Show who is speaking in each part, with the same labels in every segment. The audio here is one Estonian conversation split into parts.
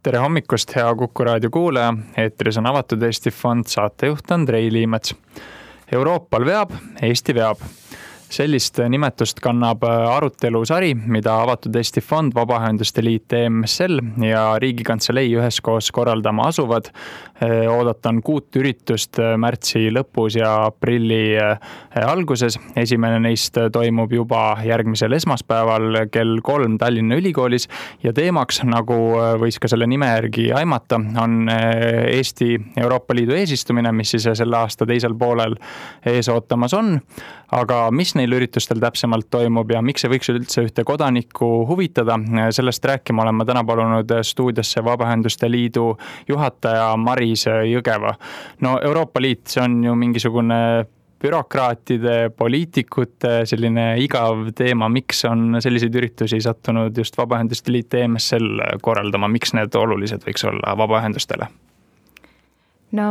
Speaker 1: Tere hommikust, hea Kuku raadio kuulaja. Eetris on Avatud Eesti Fond, saatejuht Andrei Liimets. Euroopal veab, Eesti veab. Sellist nimetust kannab arutelusari, mida Avatud Eesti Fond, Vabaühenduste Liit, EMSL ja Riigikantselei üheskoos korraldama asuvad. Oodatan 6 üritust märtsi lõpus ja aprilli alguses. Esimene neist toimub juba järgmisel esmaspäeval kell 3 Tallinna Ülikoolis ja teemaks, nagu võis ka selle nime järgi aimata, on Eesti Euroopa Liidu eesistumine, mis siis selle aasta teisel poolel ees ootamas on. Aga mis neil üritustel täpsemalt toimub ja miks see võiks üldse ühte kodanikku huvitada, sellest rääkima olen ma täna palunud stuudiosse Vabaühenduste Liidu juhataja Maris Jõgeva. No Euroopa Liit, see on ju mingisugune bürokraatide, poliitikute selline igav teema, miks on selliseid üritusi sattunud just Vabaühenduste Liit EMSL korraldama, miks need olulised võiks olla vabaühendustele?
Speaker 2: No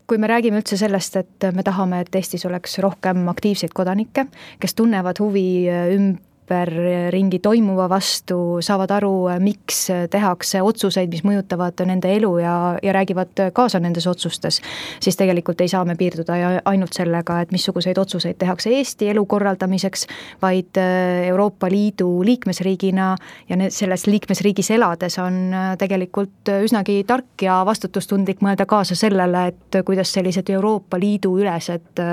Speaker 2: kui me räägime üldse sellest, et me tahame, et Eestis oleks rohkem aktiivseid kodanikke, kes tunnevad huvi ringi toimuva vastu, saavad aru, miks tehakse otsuseid, mis mõjutavad nende elu ja räägivad kaasa nendes otsustes, siis tegelikult ei saa me piirduda ainult sellega, et missuguseid otsuseid tehakse Eesti elu korraldamiseks, vaid Euroopa Liidu liikmesriigina ja selles liikmesriigis elades on tegelikult üsnagi tark ja vastutustundlik mõelda kaasa sellele, et kuidas sellised Euroopa Liidu ülesed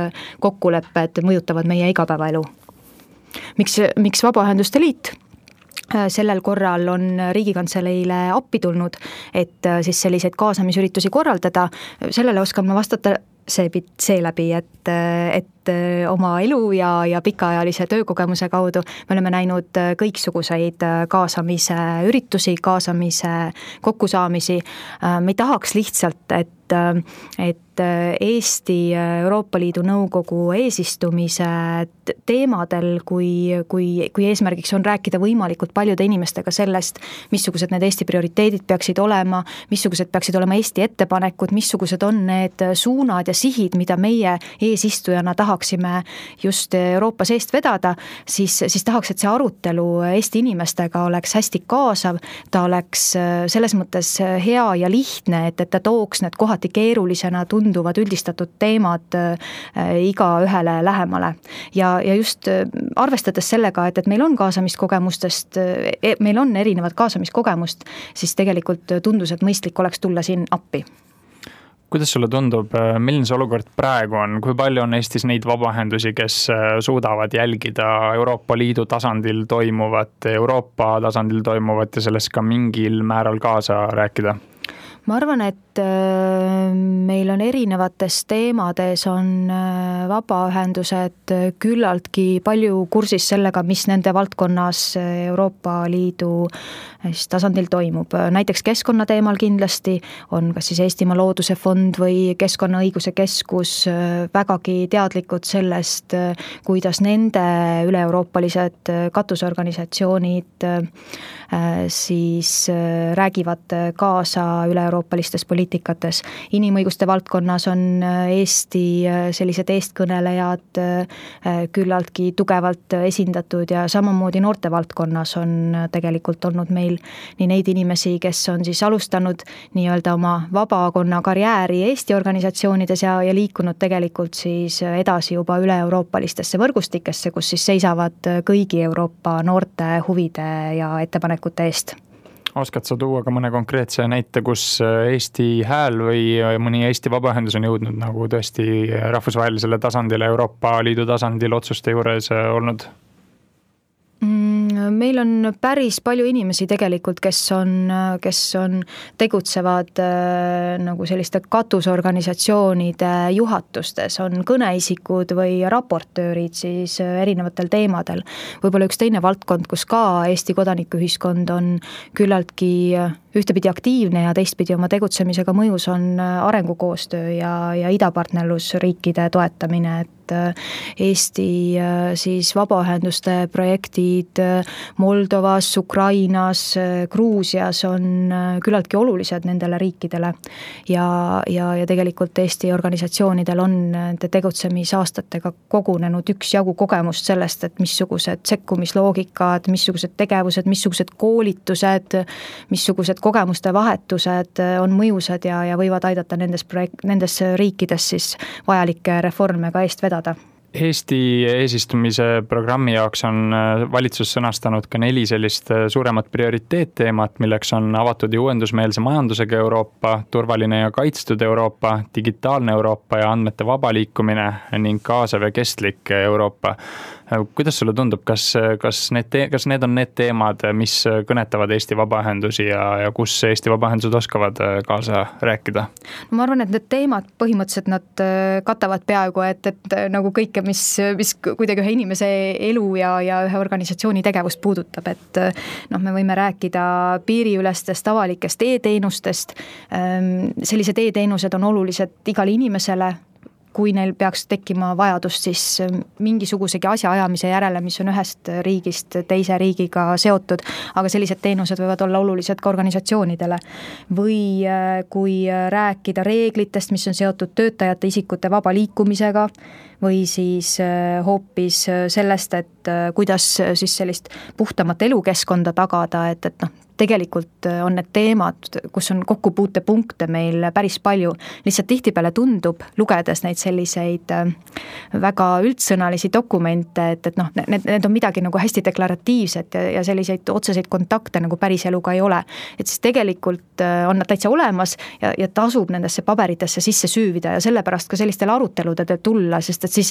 Speaker 2: kokkulepped mõjutavad meie igapäevaelu. Miks Vabaühenduste Liit sellel korral on Riigikantseleile appi tulnud, et siis selliseid kaasamisüritusi korraldada, sellele oskan ma vastata seeläbi, et oma elu ja pikaajalise töökogemuse kaudu me oleme näinud kõiksuguseid kaasamise üritusi, kaasamise kokkusaamisi. Me ei tahaks lihtsalt, et Eesti Euroopa Liidu Nõukogu eesistumise teemadel, kui eesmärgiks on rääkida võimalikult paljude inimestega sellest, missugused need Eesti prioriteedid peaksid olema, missugused peaksid olema Eesti ettepanekud, missugused on need suunad ja sihid, mida meie eesistujana tahaksime just Euroopa seest vedada, siis tahaks, et see arutelu Eesti inimestega oleks hästi kaasav, ta oleks selles mõttes hea ja lihtne, et ta tooks need kohati keerulisena tunduvad üldistatud teemad iga ühele lähemale. Ja just arvestades sellega, et meil on kaasamiskogemustest, meil on erinevad kaasamiskogemust, siis tegelikult tundus, et mõistlik oleks tulla siin appi.
Speaker 1: Kuidas sulle tundub, milline see olukord praegu on? Kui palju on Eestis neid vabaühendusi, kes suudavad jälgida Euroopa Liidu tasandil toimuvat, Euroopa tasandil toimuvat ja sellest ka mingil määral kaasa rääkida?
Speaker 2: Ma arvan, et meil on erinevates teemades on vabaühendused küllaltki palju kursis sellega, mis nende valdkonnas Euroopa Liidu tasandil toimub. Näiteks keskkonnateemal kindlasti on kas siis Eestimaa Looduse Fond või Keskkonnaõiguse Keskus vägagi teadlikud sellest, kuidas nende üle-euroopalised katusorganisatsioonid siis räägivad kaasa üle-euroopalistes poliitikates. Inimõiguste valdkonnas on Eesti sellised eestkõnelejad küllaltki tugevalt esindatud ja samamoodi noorte valdkonnas on tegelikult olnud meil nii neid inimesi, kes on siis alustanud nii-öelda oma vabakonna karjääri Eesti organisatsioonides ja liikunud tegelikult siis edasi juba üle-euroopalistesse võrgustikesse, kus siis seisavad kõigi Euroopa noorte huvide ja ettepanekute eest.
Speaker 1: Oskad sa tuua ka mõne konkreetse näite, kus Eesti hääl või mõni Eesti vabaühendus on jõudnud nagu tõesti rahvusvahelisele tasandile, Euroopa Liidu tasandil otsuste juures olnud?
Speaker 2: Meil on päris palju inimesi tegelikult, kes tegutsevad nagu selliste katusorganisatsioonide juhatustes, on kõneisikud või raportöörid siis erinevatel teemadel. Võib-olla üks teine valdkond, kus ka Eesti kodanikuühiskond on küllaltki ühtepidi aktiivne ja teistpidi oma tegutsemisega mõjus on arengukoostöö ja idapartnerlusriikide toetamine, et Eesti siis vabaühenduste projektid Moldovas, Ukrainas, Gruusias on küllaltki olulised nendele riikidele ja tegelikult Eesti organisatsioonidel on tegutsemisaastatega kogunenud üksjagu kogemust sellest, et missugused sekkumisloogikad, missugused tegevused, missugused koolitused, missugused kogemuste vahetused on mõjusad ja võivad aidata nendes riikides siis vajalikke reforme ka eest vedada.
Speaker 1: Eesti eesistumise programmi jaoks on valitsus sõnastanud ka 4 sellist suuremat prioriteetteemat, milleks on avatud ja uuendusmeelse majandusega Euroopa, turvaline ja kaitstud Euroopa, digitaalne Euroopa ja andmete vaba liikumine ning kaasav ja kestlik Euroopa. Kuidas sulle tundub, kas need on need teemad, mis kõnetavad Eesti vabaühendusi ja kus Eesti vabaühendused oskavad kaasa rääkida?
Speaker 2: No ma arvan, et need teemad põhimõtteliselt nad katavad peaaegu, et nagu kõike, mis kuidagi ühe inimese elu ja ühe organisatsiooni tegevust puudutab, et me võime rääkida piiriülestest avalikest e-teenustest. Sellised e-teenused on olulised igale inimesele, kui neil peaks tekkima vajadust siis mingisugusegi asja ajamise järele, mis on ühest riigist teise riigiga seotud, aga sellised teenused võivad olla olulised ka organisatsioonidele. Või kui rääkida reeglitest, mis on seotud töötajate isikute vaba liikumisega, või siis hoopis sellest, et kuidas siis sellist puhtamat elukeskkonda tagada, et tegelikult on need teemad, kus on kokkupuutepunkte meil päris palju. Lihtsalt tihtipeale tundub, lugedes neid selliseid väga üldsõnalisi dokumente, et need on midagi nagu hästi deklaratiivset ja selliseid otseseid kontakte nagu päris eluga ei ole. Et siis tegelikult on nad täitsa olemas ja tasub nendesse paberitesse sisse süüvida ja sellepärast ka sellistele aruteludele tulla, sest et siis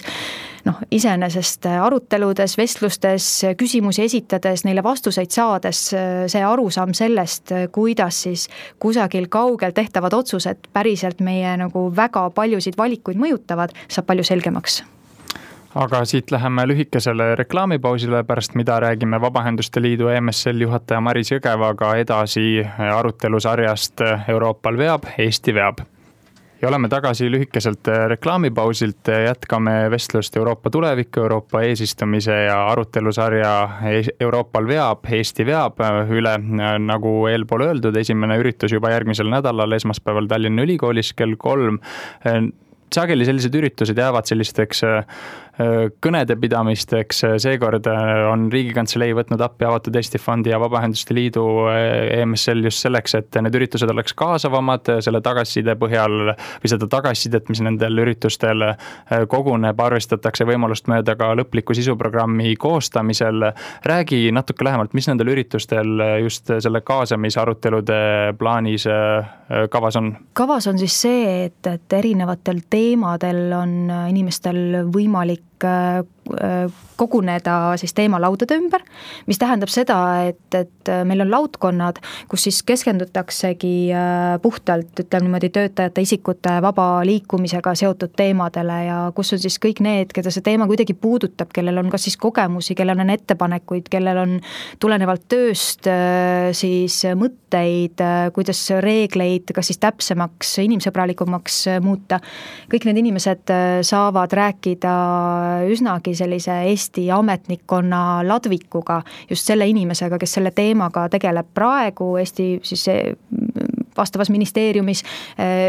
Speaker 2: iseenesest aruteludes, vestlustes, küsimusi esitades, neile vastuseid saades see arusaam sellest, kuidas siis kusagil kaugel tehtavad otsused päriselt meie nagu väga paljusid valikuid mõjutavad, saab palju selgemaks.
Speaker 1: Aga siit läheme lühikesele reklaamipausile, pärast mida räägime Vabaühenduste Liidu EMSL juhataja Maris Jõgevaga edasi arutelusarjast Euroopal veab, Eesti veab. Ja oleme tagasi lühikeselt reklaamipausilt, jätkame vestlust Euroopa tuleviku, Euroopa eesistumise ja arutelusarja Euroopal veab, Eesti veab üle, nagu eelpool öeldud, esimene üritus juba järgmisel nädalal, esmaspäeval Tallinna Ülikoolis kell 3. Sageli sellised üritused jäävad sellisteks kõnede pidamisteks. Seekord on Riigikantselei võtnud appi Avatud Eesti Fondi ja Vabaühenduste Liidu EMSL just selleks, et need üritused oleks kaasavamad selle tagasiside põhjal või seda tagasisidet, mis nendel üritustel koguneb, arvestatakse võimalust mööda ka lõpliku sisuprogrammi koostamisel. Räägi natuke lähemalt, mis nendel üritustel just selle kaasamisarutelude plaanis kavas on?
Speaker 2: Kavas on siis see, et erinevatel teemadel on inimestel võimalik koguneda siis teemalaudade ümber, mis tähendab seda, et meil on laudkonnad, kus siis keskendutaksegi puhtalt, ütleme niimoodi, töötajate isikute vaba liikumisega seotud teemadele ja kus on siis kõik need, keda see teema kuidagi puudutab, kellel on kas siis kogemusi, kellel on ettepanekuid, kellel on tulenevalt tööst siis mõtteid, kuidas reegleid kas siis täpsemaks, inimsõbralikumaks muuta. Kõik need inimesed saavad rääkida üsnagi sellise Eesti ametnikkonna ladvikuga, just selle inimesega, kes selle teemaga tegeleb praegu Eesti siis vastavas ministeeriumis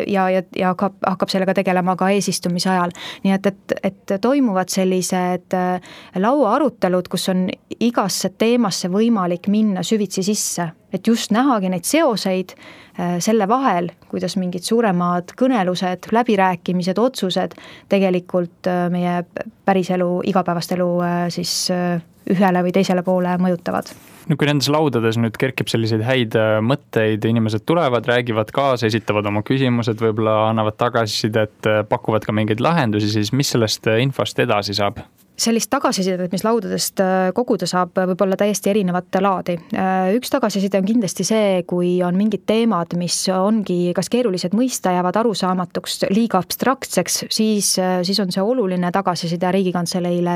Speaker 2: ja hakkab sellega tegelema ka eesistumise ajal. Nii et toimuvad sellised lauaarutelud, kus on igasse teemasse võimalik minna süvitsi sisse, et just nähagi neid seoseid selle vahel, kuidas mingid suuremad kõnelused, läbirääkimised, otsused tegelikult meie päriselu, igapäevast elu siis ühele või teisele poole mõjutavad.
Speaker 1: No kui nendes laudades nüüd kerkib selliseid häid mõtteid, inimesed tulevad, räägivad kaasa, esitavad oma küsimused, võib-olla annavad tagasisidet, pakuvad ka mingeid lahendusi, siis mis sellest infost edasi saab?
Speaker 2: Sellist tagasisidet, mis laudadest koguda saab, võib olla täiesti erinevat laadi. Üks tagasiside on kindlasti see, kui on mingid teemad, mis ongi kas keerulised mõista, jäävad arusaamatuks, liiga abstraktseks, siis on see oluline tagasiside Riigikantseleile,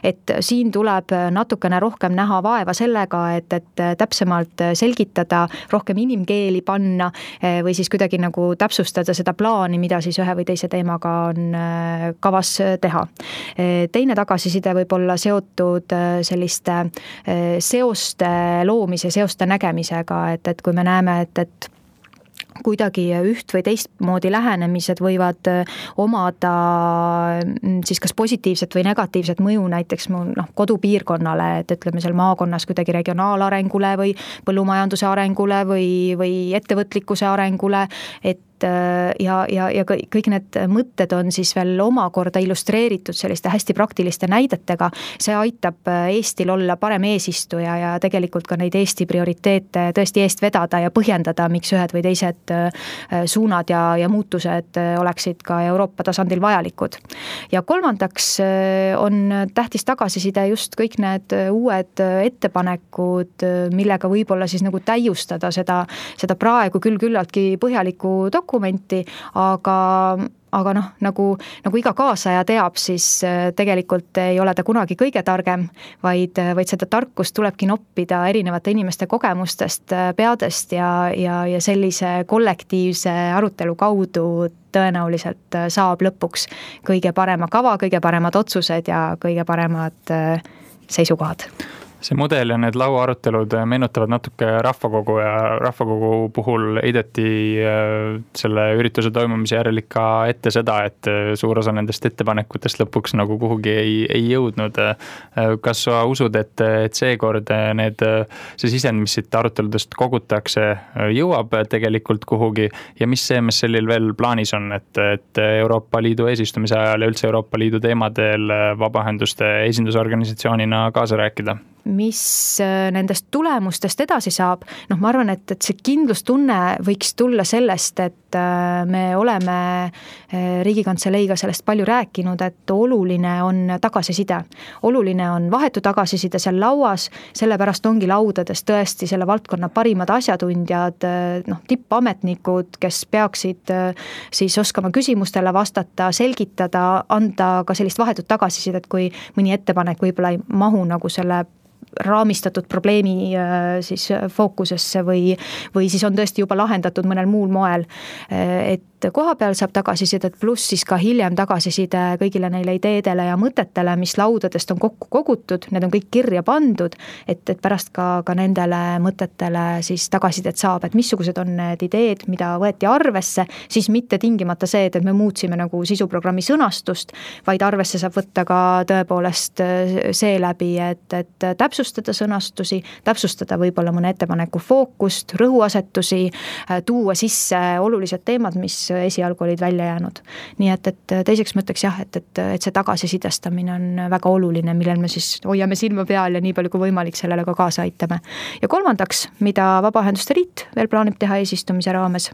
Speaker 2: et siin tuleb natukene rohkem näha vaeva sellega, et täpsemalt selgitada, rohkem inimkeeli panna või siis kuidagi nagu täpsustada seda plaani, mida siis ühe või teise teemaga on kavas teha. Teine tagasiside võib olla seotud selliste seoste loomise, seoste nägemisega, et kui me näeme, et kuidagi üht või teistmoodi lähenemised võivad omada siis kas positiivset või negatiivset mõju näiteks mu kodupiirkonnale, et ütleme seal maakonnas kuidagi regionaalarengule või põllumajanduse arengule või ettevõtlikkuse arengule, et ja kõik need mõtted on siis veel omakorda illustreeritud selliste hästi praktiliste näidetega. See aitab Eestil olla parem eesistuja ja tegelikult ka neid Eesti prioriteete tõesti eest vedada ja põhjendada, miks ühed või teised suunad ja muutused oleksid ka Euroopa tasandil vajalikud. Ja kolmandaks on tähtis tagasiside just kõik need uued ettepanekud, millega võib-olla siis nagu täiustada seda praegu küll küllaltki põhjalikku dokumenti, aga nagu iga kaasaja teab, siis tegelikult ei ole ta kunagi kõige targem, vaid seda tarkust tulebki noppida erinevate inimeste kogemustest, peadest ja sellise kollektiivse arutelu kaudu tõenäoliselt saab lõpuks kõige parema kava, kõige paremad otsused ja kõige paremad seisukohad.
Speaker 1: See mudel ja need lauaarutelud meenutavad natuke rahvakogu ja rahvakogu puhul heideti selle ürituse toimumise järel ikka ette seda, et suur osa nendest ettepanekutest lõpuks nagu kuhugi ei jõudnud. Kas sa usud, et seekord see sisend, mis siit aruteludest kogutakse, jõuab tegelikult kuhugi ja mis CMSL-il veel plaanis on, et Euroopa Liidu eesistumise ajal ja üldse Euroopa Liidu teemadel vabaühenduste esindusorganisatsioonina kaasa rääkida?
Speaker 2: Mis nendest tulemustest edasi saab? Ma arvan, et see kindlustunne võiks tulla sellest, et me oleme Riigikantseleiga sellest palju rääkinud, et oluline on tagasiside. Oluline on vahetu tagasiside seal lauas, sellepärast ongi laudades tõesti selle valdkonna parimad asjatundjad, tippametnikud, kes peaksid siis oskama küsimustele vastata, selgitada, anda ka sellist vahetut tagasisidet, kui mõni ettepanek võib-olla ei mahu nagu selle raamistatud probleemi siis fookusesse või siis on tõesti juba lahendatud mõnel muul moel, et koha peal saab tagasisidet, pluss siis ka hiljem tagasiside kõigile neile ideedele ja mõtetele, mis laudadest on kokku kogutud, need on kõik kirja pandud, et pärast ka nendele mõtetele siis tagasisidet saab, et missugused on need ideed, mida võeti arvesse, siis mitte tingimata see, et me muutsime nagu sisuprogrammi sõnastust, vaid arvesse saab võtta ka tõepoolest seeläbi, et täpsustada sõnastusi, täpsustada võib-olla mõne ettepaneku fookust, rõhuasetusi, tuua sisse olulised teemad, mis esialgu olid välja jäänud. Nii et teiseks mõtteks jah, et see tagasisidestamine on väga oluline, millel me siis hoiame silma peal ja nii palju kui võimalik sellele ka kaasa aitame. Ja kolmandaks, mida Vabaühenduste Liit veel plaanib teha eesistumise raames?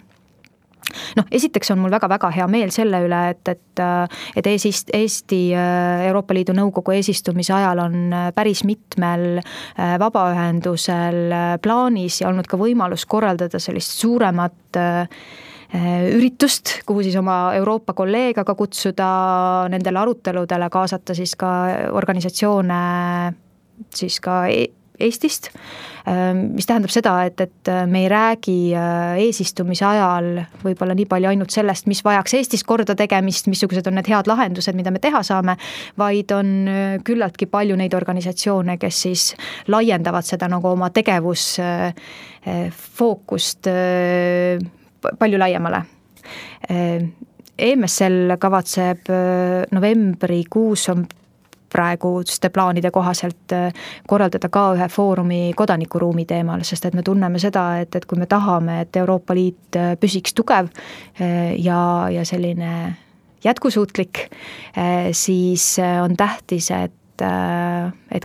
Speaker 2: Esiteks on mul väga-väga hea meel selle üle, et Eesti Euroopa Liidu Nõukogu eesistumise ajal on päris mitmel vabaühendusel plaanis ja olnud ka võimalus korraldada sellist suuremat üritust, kuhu siis oma Euroopa kolleega ka kutsuda, nendele aruteludele kaasata siis ka organisatsioone siis ka Eestist, mis tähendab seda, et me ei räägi eesistumise ajal võib-olla nii palju ainult sellest, mis vajaks Eestis korda tegemist, missugused on need head lahendused, mida me teha saame, vaid on küllaltki palju neid organisatsioone, kes siis laiendavad seda nagu oma tegevusfookust palju laiemale. EMSL kavatseb novembrikuus on praeguste plaanide kohaselt korraldada ka ühe foorumi kodanikuruumi teemal, sest et me tunneme seda, et kui me tahame, et Euroopa Liit püsiks tugev ja selline jätkusuutlik, siis on tähtis, et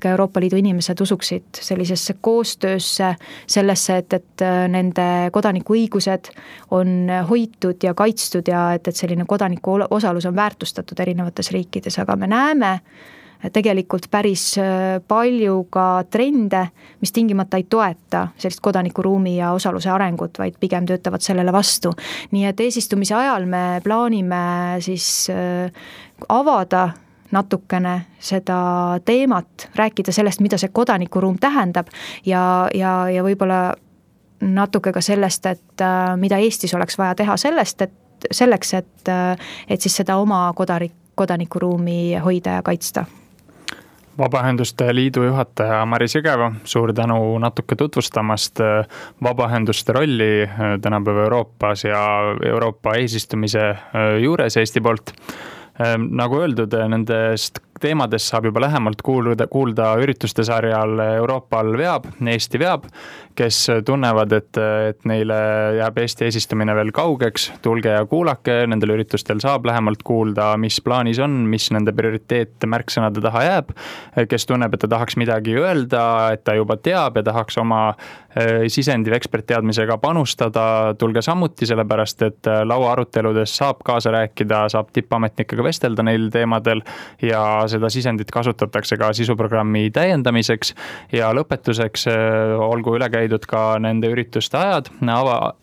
Speaker 2: ka Euroopa Liidu inimesed usuksid sellisesse koostöösse, sellesse, et nende kodanikuõigused on hoitud ja kaitstud ja et selline kodaniku osalus on väärtustatud erinevates riikides, aga me näeme tegelikult päris palju ka trende, mis tingimata ei toeta sellist kodanikuruumi ja osaluse arengut, vaid pigem töötavad sellele vastu. Nii et eesistumise ajal me plaanime siis avada natukene seda teemat, rääkida sellest, mida see kodanikuruum tähendab ja võib-olla natuke ka sellest, et mida Eestis oleks vaja teha selleks, et siis seda oma kodanikuruumi hoida ja kaitsta.
Speaker 1: Vabaühenduste Liidu juhataja Maris Jõgeva, suur tänu natuke tutvustamast vabaühenduste rolli tänapäeva Euroopas ja Euroopa eesistumise juures Eesti poolt. Nagu öeldud, nendest teemadest saab juba lähemalt kuulda ürituste sarjal Euroopal veab, Eesti veab, kes tunnevad, et neile jääb Eesti eesistumine veel kaugeks. Tulge ja kuulake, nendel üritustel saab lähemalt kuulda, mis plaanis on, mis nende prioriteet märksõnade taha jääb, kes tunneb, et ta tahaks midagi öelda, et ta juba teab ja tahaks oma sisendi või ekspertteadmisega panustada. Tulge samuti, sellepärast et laua aruteludes saab kaasa rääkida, saab tippametnikega vestelda neil teemadel ja seda sisendit kasutatakse ka sisuprogrammi täiendamiseks ja lõpetuseks olgu üle käidud ka nende ürituste ajad.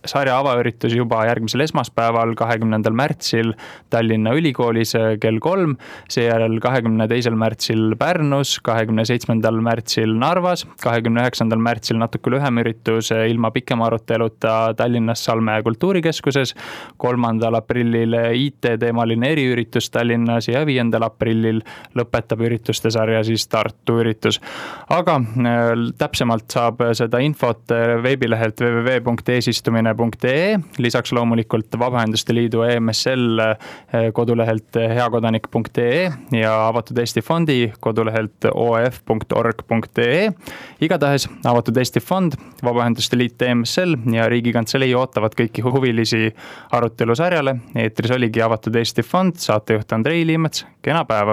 Speaker 1: Sarja avaüritus juba järgmisel esmaspäeval, 20. märtsil Tallinna Ülikoolis kell 3, seejärel 22. märtsil Pärnus, 27. märtsil Narvas, 29. märtsil natuke lühem üritus ilma pikema aruteluta Tallinnas Salme kultuurikeskuses, 3. aprillil IT-teemaline eriüritus Tallinnas ja 5. aprillil lõpetab ürituste sarja siis Tartu üritus. Aga täpsemalt saab seda infot veebilehelt www.eesistumine.ee, lisaks loomulikult Vabaühenduste Liidu EMSL kodulehelt heakodanik.ee ja Avatud Eesti Fondi kodulehelt oef.org.ee. Igatahes Avatud Eesti Fond, Vabaühenduste Liit EMSL ja Riigikantselei ootavad kõiki huvilisi arutelu sarjale. Eetris oligi Avatud Eesti Fond, saatejuht Andrei Liimets, kena päeva!